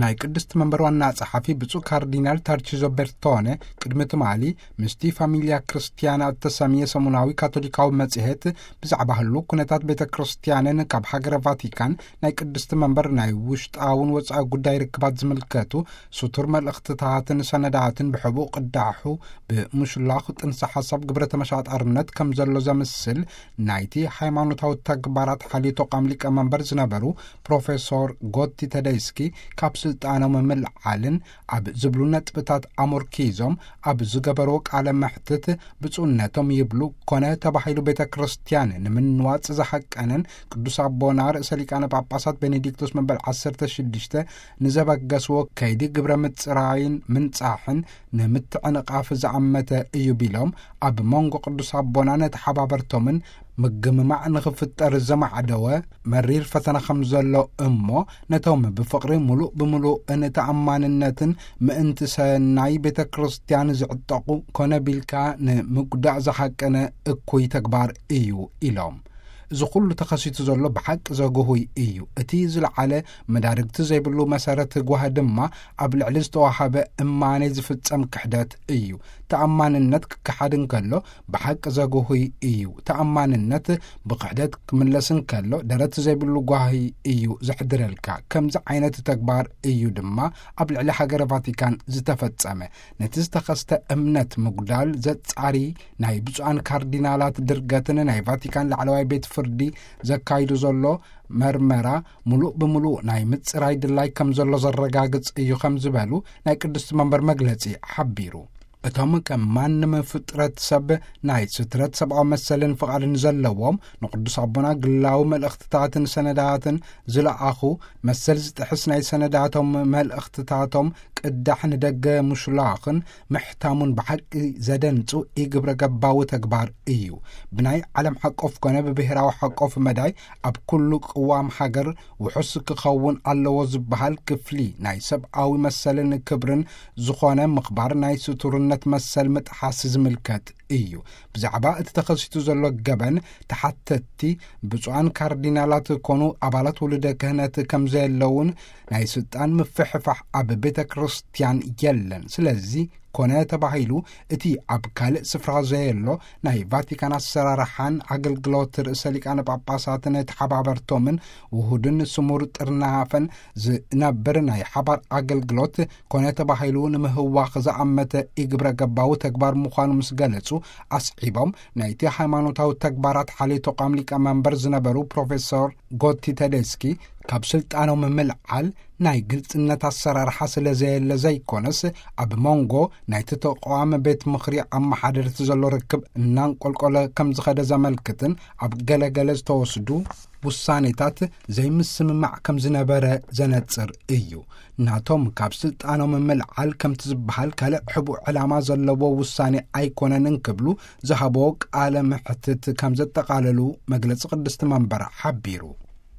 ናይ ቅድስቲ መንበር ዋና ጸሓፊ ብፁዕ ካርዲናል ታርቺዞ ቤርቶነ ቅድሚ ትማሊ ምስቲ ፋሚልያ ክርስቲያና እተሰምየ ሰሙናዊ ካቶሊካዊ መጽሔት ብዛዕባ ህሉ ኩነታት ቤተ ክርስቲያንን ካብ ሃገረ ቫቲካን ናይ ቅድስቲ መንበር ናይ ውሽጣውን ወጻኢ ጉዳይ ርክባት ዝምልከቱ ስቱር መልእኽትታትን ሰነዳትን ብሕቡእ ቅዳሑ ብምሽላኽ ጥንሰ ሓሳብ ግብረ ተመሻጣርነት ከም ዘሎ ዘምስል ናይቲ ሃይማኖታዊ ተግባራት ሓልዮ ተቋም ሊቀ መንበር ዝነበሩ ፕሮፌሶር ጎቲ ተደይስኪ ካብ ስልጣኖም ምልዓልን ኣብ ዝብሉ ነጥብታት ኣሞርኪዞም ኣብ ዝገበርዎ ቃለ መሕትት ብፁዕነቶም ይብሉ ኮነ ተባሂሉ ቤተ ክርስቲያን ንምንዋጽ ዝሃቀነን ቅዱስ ኣቦና ርእሰ ሊቃነ ጳጳሳት ቤኔዲክቶስ መበል ዓሰርተ ሽዱሽተ ንዘበገስዎ ከይዲ ግብረ ምጽራይን ምንጻሕን ንምትዕንቓፍ ዝኣመተ እዩ ቢሎም፣ ኣብ መንጎ ቅዱስ ኣቦና ነተሓባበርቶምን ምግምማዕ ንኽፍጠር ዘማዕደወ መሪር ፈተና ከም ዘሎ እሞ፣ ነቶም ብፍቕሪ ምሉእ ብምሉእ ንተኣማንነትን ምእንቲ ሰናይ ቤተ ክርስቲያን ዝዕጠቑ ኮነ ቢልካ ንምጉዳእ ዝሓቀነ እኩይ ተግባር እዩ ኢሎም። እዚ ኩሉ ተኸሲቱ ዘሎ ብሓቂ ዘጉሁይ እዩ። እቲ ዝለዓለ መዳርግቲ ዘይብሉ መሰረት ጓህ ድማ ኣብ ልዕሊ ዝተዋሃበ እማኔ ዝፍጸም ክሕደት እዩ። ተኣማንነት ክከሓድ እንከሎ ብሓቂ ዘጉሁይ እዩ። ተኣማንነት ብክሕደት ክምለስ እንከሎ ደረት ዘይብሉ ጓሂ እዩ ዘሕድረልካ። ከምዚ ዓይነት ተግባር እዩ ድማ ኣብ ልዕሊ ሃገረ ቫቲካን ዝተፈጸመ። ነቲ ዝተኸስተ እምነት ምጉዳል ዘጻሪ ናይ ብፁዓን ካርዲናላት ድርገትን ናይ ቫቲካን ላዕለዋይ ቤት ፍርዲ ዘካይዱ ዘሎ መርመራ ምሉእ ብምሉእ ናይ ምጽራይ ድላይ ከም ዘሎ ዘረጋግጽ እዩ ከም ዝበሉ ናይ ቅድስቲ መንበር መግለጺ ሓቢሩ። እቶም ከም ማንም ፍጥረት ሰብ ናይ ስትረት ሰብኣዊ መሰልን ፍቓድን ዘለዎም ንቅዱስ ኣቦና ግላዊ መልእኽትታትን ሰነዳትን ዝለኣኹ መሰል ዝጥሕስ ናይ ሰነዳቶም መልእኽትታቶም ቅዳሕ ንደገ ምሽላኽን ምሕታሙን ብሓቂ ዘደንጹ ኢግብረ ገባዊ ተግባር እዩ። ብናይ ዓለም ሓቆፍ ኮነ ብብሔራዊ ሓቆፍ መዳይ ኣብ ኩሉ ቅዋም ሃገር ውሑስ ክኸውን ኣለዎ ዝበሃል ክፍሊ ናይ ሰብኣዊ መሰልን ክብርን ዝኾነ ምኽባር ናይ ስቱርነት መሰል ምጥሓስ ዝምልከት እዩ። ብዛዕባ እቲ ተኸሲቱ ዘሎ ገበን ተሓተትቲ ብፁዓን ካርዲናላት ኮኑ ኣባላት ውሉደ ክህነት ከም ዘየለውን ናይ ስልጣን ምፍሕፋሕ ኣብ ቤተ ክርስቲያን የለን። ስለዚ ኮነ ተባሂሉ እቲ ኣብ ካልእ ስፍራ ዘየሎ ናይ ቫቲካን ኣሰራርሓን ኣገልግሎት ርእሰ ሊቃነ ጳጳሳትን ተሓባበርቶምን ውሁድን ስሙር ጥርናፈን ዝነብር ናይ ሓባር ኣገልግሎት ኮነ ተባሂሉ ንምህዋኽ ዝኣመተ ኢግብረ ገባዊ ተግባር ምዃኑ ምስ ገለጹ ኣስዒቦም ናይቲ ሃይማኖታዊ ተግባራት ሓልዮ ተቋም ሊቀ መንበር ዝነበሩ ፕሮፌሶር ጎቲ ተደስኪ ካብ ስልጣኖም ምልዓል ናይ ግልጽነት ኣሰራርሓ ስለ ዘየለ ዘይኮነስ ኣብ መንጎ ናይቲ ተቋም ቤት ምኽሪ ኣመሓደርቲ ዘሎ ርክብ እናንቆልቆለ ከም ዝኸደ ዘመልክትን ኣብ ገለገለ ዝተወስዱ ውሳኔታት ዘይምስምማዕ ከም ዝነበረ ዘነጽር እዩ። ናቶም ካብ ስልጣኖም ምልዓል ከምቲ ዝበሃል ካልእ ሕቡእ ዕላማ ዘለዎ ውሳኔ ኣይኮነን እንክብሉ ዝሃቦ ቃለ መሕትት ከም ዘጠቓለሉ መግለጺ ቅድስቲ መንበር ሓቢሩ።